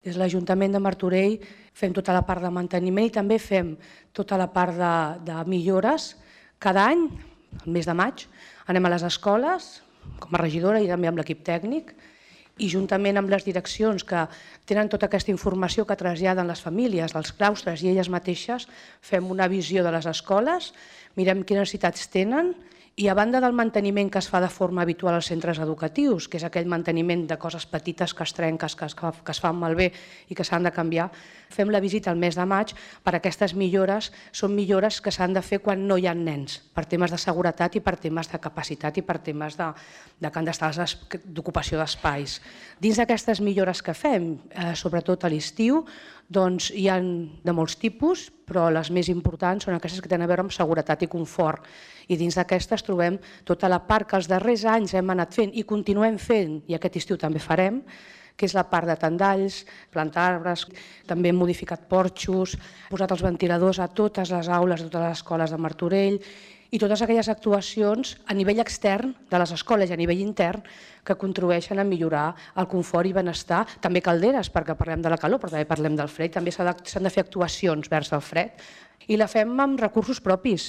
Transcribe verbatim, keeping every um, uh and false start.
Des de l'Ajuntament de Martorell fem tota la part de manteniment i també fem tota la part de, de millores. Cada any, el mes de maig, anem a les escoles, com a regidora i també amb l'equip tècnic, i juntament amb les direccions que tenen tota aquesta informació que traslladen les famílies, dels claustres i elles mateixes, fem una visió de les escoles, mirem quines necessitats tenen i a banda del manteniment que es fa de forma habitual als centres educatius, que és aquell manteniment de coses petites que es trenquen, que es, que es fan malbé i que s'han de canviar, fem la visita al mes de maig per aquestes millores. Són millores que s'han de fer quan no hi ha nens, per temes de seguretat i per temes de capacitat i per temes de, de que han d'estar d'ocupació d'espais. Dins d'aquestes millores que fem, eh, sobretot a l'estiu, doncs hi ha de molts tipus, però les més importants són aquestes que tenen a veure amb seguretat i confort. I dins d'aquestes trobem tota la part que els darrers anys hem anat fent i continuem fent, i aquest estiu també farem, que és la part de tendalls, plantar arbres, també hem modificat porxos, posat els ventiladors a totes les aules de totes les escoles de Martorell i totes aquelles actuacions a nivell extern de les escoles i a nivell intern que contribueixen a millorar el confort i benestar. També calderes, perquè parlem de la calor, però també parlem del fred. També s'han de fer actuacions vers el fred i la fem amb recursos propis.